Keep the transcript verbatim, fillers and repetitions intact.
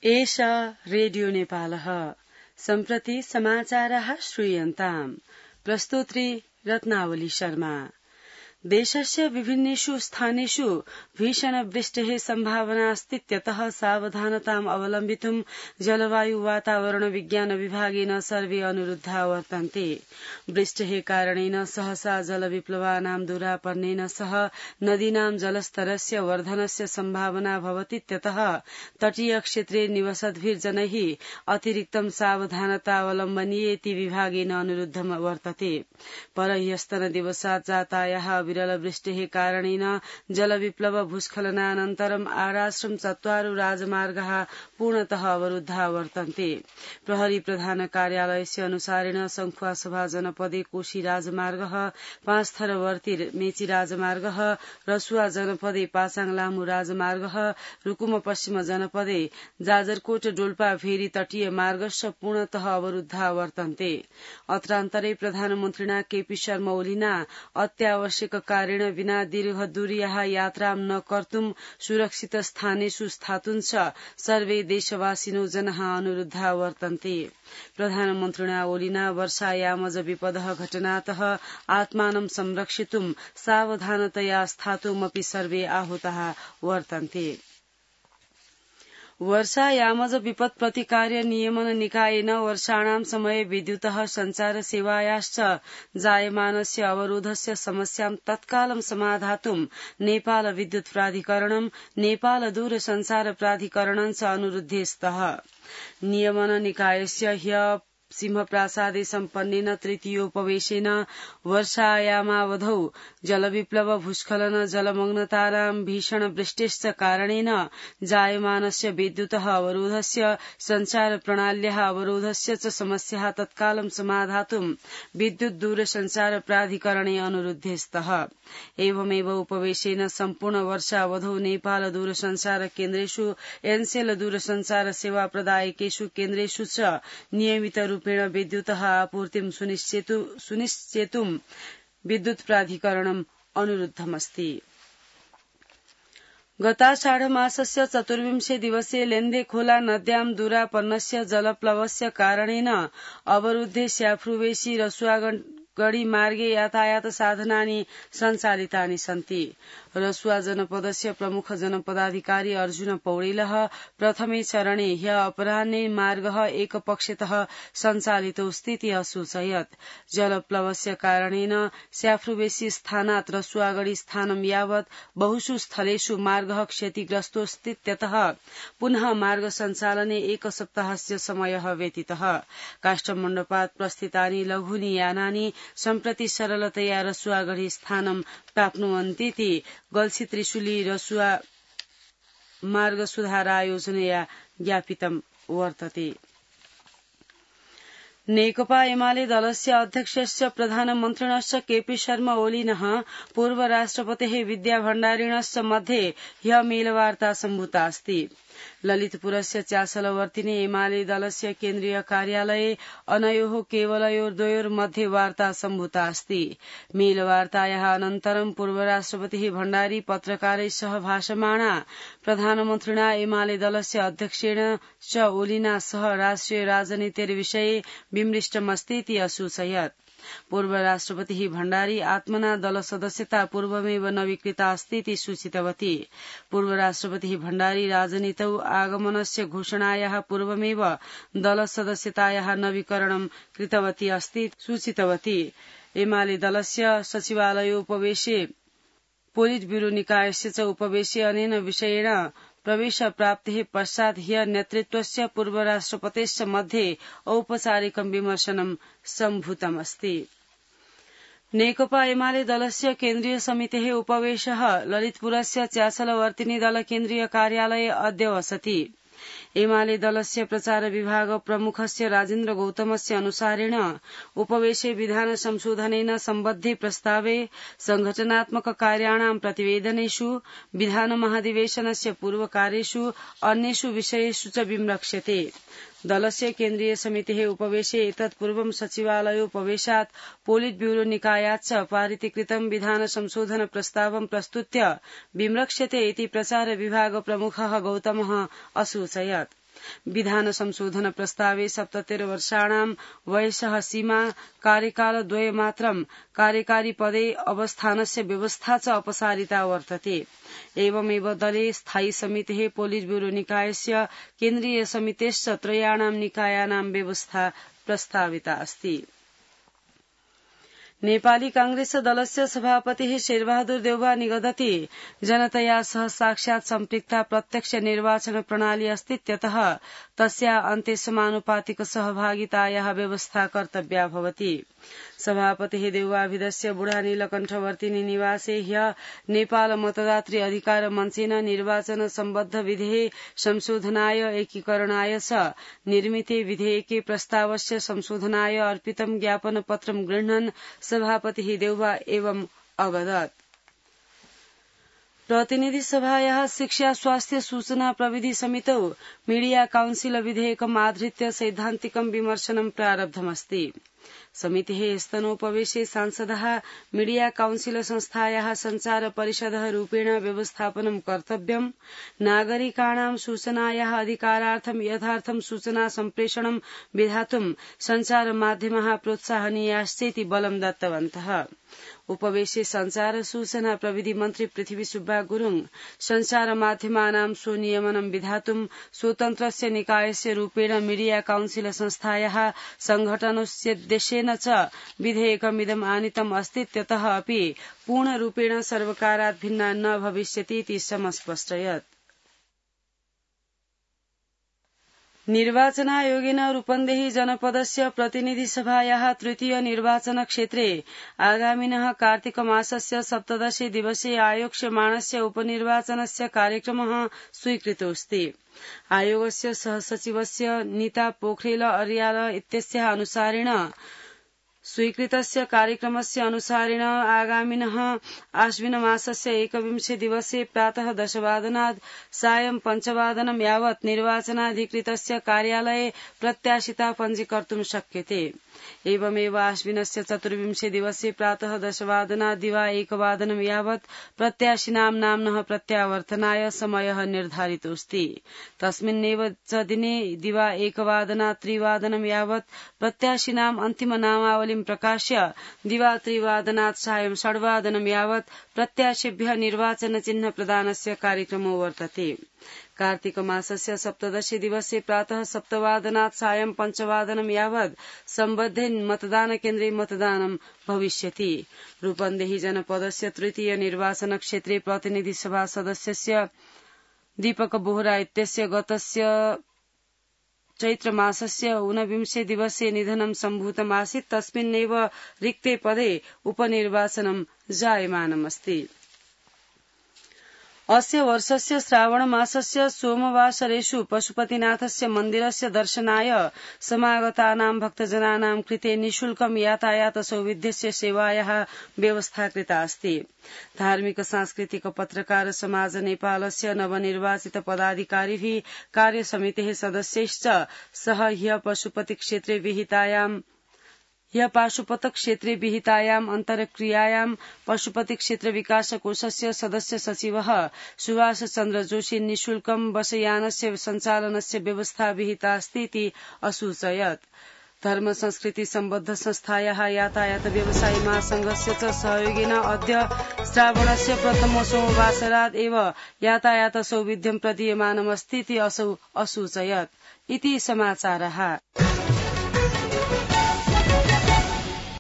एषा रेडियो नेपालः सम्प्रति समाचाराः श्रूयन्ताम्। प्रस्तोत्री रत्नावली शर्मा। देशस्य विभिन्नेषु स्थानेषु भीषणवृष्टेः सम्भावनास्तीत्यतः सावधानताम् अवलम्बितुं जलवायु वातावरण विज्ञान विभागेन सर्वे अनुरुद्धा वर्तन्ते। वृष्टेः कारणेन सहसा जलविप्लवानां दुरापन्नेन सह नदीनां जलस्तरस्य वर्धनस्य सम्भावना भवतीत्यतः तटीय क्षेत्रे निवसद्भिर्जनैः अतिरिक्तं सावधानता अवलम्बनीयेति विभागेन अनुरुद्धं वर्तते। परह्यस्तनदिवसात् जातायाः विरलवृष्टेः कारणेन जलविप्लव भूस्खलनानन्तरम् आराश्रम चत्वारो राजमार्गाः पूर्णतः अवरुद्धा वर्तन्ते। प्रहरी प्रधान कार्यालयस्य अनुसारेण संखुवासभा जनपदे कोशी राजमार्गः, पाँचथरवर्ती मेची राजमार्गः, रसुवा जनपदे पासाङ लामू राजमार्गः, रुकुम पश्चिम जनपदे जाजरकोट डोल्पा भेरी तटीय मार्गश्च पूर्णतः अवरुद्धा वर्तन्ते। अत्रान्तरे प्रधानमन्त्रिणा केपी शर्मा ओलीना अत्यावश्यक कारेण विना दीर्घ दूर्याः यात्रां न कर्तुं सुरक्षित स्थानेषु स्थातुञ्च सर्वे देशवासिनो जनाः अनुरुद्धा वर्तन्ते। प्रधानमन्त्रिणा ओलीना वर्षायामज विपदः घटनातः आत्मानं संरक्षितुं सावधानतया स्थातुमपि सर्वे आहूताः वर्तन्ते। वर्षायामज विपत् प्रतिकार्य नियमन निकायेन वर्षाणां समये विद्युतः सञ्चार सेवायाश्च जायमानस्य अवरोधस्य समस्यां तत्कालं समाधातुं नेपाल विद्युत प्राधिकरणं, नेपाल दूरसञ्चार प्राधिकरणं च अनुरुद्धे स्तः। नियमन निकायस्य ह्य सिंहप्रासादे सम्पन्नेन तृतीयोपवेशेन वर्षायामावधौ जलविप्लव भूस्खलन जलमग्नतानां भीषण वृष्टेश्च कारणेन जायमानस्य विद्युतः अवरोधस्य सञ्चार प्रणाल्याः अवरोधस्य च समस्याः तत्कालं समाधातुं विद्युत दूरसञ्चार प्राधिकरणे अनुरुद्धे स्तः। एवमेव उपवेशेन सम्पूर्ण वर्षावधौ नेपाल दूरसञ्चार केन्द्रेषु, एनसेल दूरसञ्चार सेवा प्रदायकेषु केन्द्रेषु च नियमित रूपेण विद्युतः आपूर्तिं सुनिश्चेतुं विद्युत प्राधिकरणम् अनुरुद्धमस्ति। गताषाढमासस्य चतुर्विंशे दिवसे लेन्दे खोला नद्यां दुरापन्नस्य जलप्लवस्य कारणेन अवरुद्धे स्याफ्रुवेशी रसुवागढी मार्गे यातायात साधनानि सञ्चालितानि सन्ति। रसुवा जनपदस्य प्रमुख जनपदाधिकारी अर्जुन पौडेलः प्रथमे चरणे ह्य अपराह्ने मार्गः एकपक्षतः सञ्चालितोऽस्ति इति असूचयत्। जलप्लवस्य कारणेन स्याफ्रुवेशी स्थानात् रसुवागढी स्थानं यावत् बहुषु स्थलेषु मार्गः क्षतिग्रस्तोऽस्तीत्यतः पुनः मार्ग सञ्चालने एक सप्ताहस्य समयः व्यतीतः। काष्ठमण्डपात् प्रस्थितानि लघूनि यानानि सम्प्रति सरलतया रसुवागढी स्थानं प्राप्नुवन्तीति गल्छी त्रिशुली रसुवा मार्ग सुधारायोजनया ज्ञापितं वर्तते। नेकपा एमाले दलस्य अध्यक्षस्य प्रधानमन्त्रिणश्च केपी शर्मा ओलिनः पूर्व राष्ट्रपतेः विद्या भण्डारिणश्च मध्ये ह्य मेलवार्ता सम्भूता अस्ति। ललितपुरस्य चासलवर्तिने एमाले दलस्य केन्द्रीय कार्यालये अनयोः केवलयोर्द्वयोर्मध्ये वार्ता सम्भूता अस्ति। मेलवार्तायाः अनन्तरं पूर्व राष्ट्रपतिः भण्डारी पत्रकारैः सह भाषमाणा प्रधानमन्त्रिणा एमाले दलस्य अध्यक्षेण च ओलिना सह राष्ट्रिय राजनीतिर्विषये विमृष्टमस्ति इति असूचयत्। पूर्व राष्ट्रपतिः भण्डारी आत्मना दल सदस्यता पूर्वमेव नवीकृता अस्ति इति सूचितवती। पूर्व राष्ट्रपतिः भण्डारी राजनीतौ आगमनस्य घोषणायाः पूर्वमेव दल सदस्यतायाः नवीकरणं कृतवती अस्ति सूचितवती। एमाले दलस्य सचिवालयोपवेशे पोलिट ब्यूरो निकायस्य च उपवेशे अनेन विषयेण प्रवेश प्राप्तेः पश्चात् ह्य नेतृत्वस्य पूर्व राष्ट्रपतेश्च मध्ये औपचारिकं विमर्शनं सम्भूतमस्ति। नेकपा एमाले दलस्य केन्द्रीय समितेः उपवेशः ललितपुरस्य चासलवर्तिनी दल केन्द्रीय कार्यालये अद्य वसति। एमाले दलस्य प्रचार विभाग प्रमुखस्य राजेन्द्र गौतमस्य अनुसारेण उपवेशे विधान संशोधनेन सम्बद्धे प्रस्तावे संघटनात्मक कार्याणां प्रतिवेदनेषु विधान महाधिवेशनस्य पूर्वकार्येषु अन्येषु विषयेषु च विमृक्ष्यते। दलस्य केन्द्रीय समितेः उपवेशे एतत्पूर्वं सचिवालयोपवेशात् पोलिट ब्यूरो निकायात् च पारितीकृतं विधान संशोधन प्रस्तावं प्रस्तुत्य विमृक्ष्यते इति प्रचार विभाग प्रमुखः गौतमः असूचयत्। विधान संशोधन प्रस्तावे सप्ततिर् वर्षाणां वयसः सीमा कार्यकालद्वयमात्रं कार्यकारी पदे अवस्थानस्य व्यवस्था च अपसारिता वर्तते। एवमेव दले स्थायी समितेः पोलिट ब्यूरो निकायस्य केन्द्रीय समितेश्च त्रयाणां निकायानां व्यवस्था प्रस्ताविता अस्ति। नेपाली कांग्रेस दलस्य सभापतिः शेरबहादुर देउवा निगदति जनतया सह साक्षात् सम्पृक्ता प्रत्यक्ष निर्वाचन प्रणाली अस्तीत्यतः तस्या अन्ते समानुपातिक सहभागितायाः व्यवस्था कर्तव्या भवति। सभापतिः देउवाभिधस्य बुढा नीलकण्ठवर्तिनी निवासे ह्यः नेपाल मतदातृ अधिकार मञ्चेन निर्वाचन सम्बद्ध विधेः संशोधनाय एकीकरणाय च निर्मिते विधेयके प्रस्तावस्य संशोधनाय अर्पितं ज्ञापन पत्रं गृह्णन् सभापतिः देउवा एवं अवदत्। प्रतिनिधि सभायाः शिक्षा स्वास्थ्य सूचना प्रविधि समितौ मीडिया काउन्सिल विधेयकम् आधृत्य सैद्धान्तिकं विमर्शनं प्रारब्धमस्ति। समितेः स्तनोपवेशे सांसदः मीडिया काउन्सिल संस्थायाः संचार परिषदः रूपेण व्यवस्थापनं कर्तव्यम्, नागरिकाणां सूचनायाः अधिकारार्थं यथार्थं सूचना सम्प्रेषणं विधातुं संचार माध्यमाः प्रोत्साहनीयाश्चेति बलं दत्तवन्तः। उपवेशे संचार सूचना प्रविधि मन्त्री पृथ्वी सुब्बा गुरुङ संचार माध्यमानां स्वनियमनं विधातुं स्वतन्त्रस्य निकायस्य रूपेण मीडिया काउन्सिल संस्थायाः संघटनोद्देश्येन च विधेयकमिदम् आनीतम् अस्तीत्यतः अपि पूर्णरूपेण सर्वकारात् भिन्ना न भविष्यतीति समस्पष्टयत्। निर्वाचनायोगेन रूपन्देही जनपदस्य प्रतिनिधि सभायाः तृतीय निर्वाचन क्षेत्रे आगामिनः कार्तिकमासस्य सप्तदशे दिवसे आयोक्ष्यमाणस्य उपनिर्वाचनस्य कार्यक्रमः स्वीकृतोऽस्ति। आयोगस्य सहसचिवस्य नीता पोखरेल अर्याल इत्यस्याः अनुसारेण स्वीकृतस्य कार्यक्रमस्य अनुसारेण आगामिनः आश्विनमासस्य एकविंशे दिवसे प्रातः दशवादनात् सायं पञ्चवादनं यावत् निर्वाचनाधिकृतस्य कार्यालये प्रत्याशिता पञ्जीकर्तुं शक्यते। एवमेव आश्विनस्य चतुर्विंशे दिवसे प्रातः दशवादनात् दिवा एकवादनं यावत् प्रत्याशिनां नाम्नः प्रत्यावर्तनाय समयः निर्धारितोऽस्ति। तस्मिन्नेव च दिने दिवा एकवादनात् त्रिवादनं यावत् प्रत्याशिनां अन्तिम नामावलिं प्रकाश्य दिवा त्रिवादनात् सायं षड्वादनं यावत् प्रत्याशिभ्यः निर्वाचन चिह्न प्रदानस्य कार्यक्रमो वर्तते। कार्तिक मासस्य सप्तदशे दिवसे प्रातः सप्तवादनात् सायं पञ्चवादनं यावत् सम्बद्धे मतदान केन्द्रे मतदानं भविष्यति। रूपन्देही जनपदस्य तृतीय निर्वाचन क्षेत्रे प्रतिनिधि सभा सदस्यस्य दीपक बोहरा इत्यस्य गतस्य चैत्रमासस्य ऊनविंशे दिवसे निधनं सम्भूतमासीत्। तस्मिन्नेव रिक्ते पदे उपनिर्वाचनं जायमानमस्ति। अस्य वर्षस्य श्रावण मासस्य सोमवासरेषु पशुपतिनाथस्य मन्दिरस्य दर्शनाय समागतानां भक्तजनानां कृते निःशुल्कं यातायात सौविध्यस्य सेवायाः व्यवस्था कृता अस्ति। धार्मिक सांस्कृतिक पत्रकार समाज नेपालस्य नवनिर्वाचित पदाधिकारिभिः कार्यसमितेः सदस्यैश्च सह ह्यः पशुपति क्षेत्रे विहितायां ह्यः पाशुपत क्षेत्रे विहितायाम् अन्तर्क्रियायां पशुपति क्षेत्र विकास कोषस्य सदस्य सचिवः सुभाष चन्द्र जोशी निःशुल्कं बसयानस्य सञ्चालनस्य व्यवस्था विहिता अस्ति इति असूचयत्। धर्म संस्कृति सम्बद्ध संस्थायाः यातायात व्यवसायी महासंघस्य च सहयोगेन अद्य श्रावणस्य प्रथम सोमवासरात् एव यातायात सौविध्यं प्रदीयमानमस्ति इति असौ असूचयत्। इति समाचारः।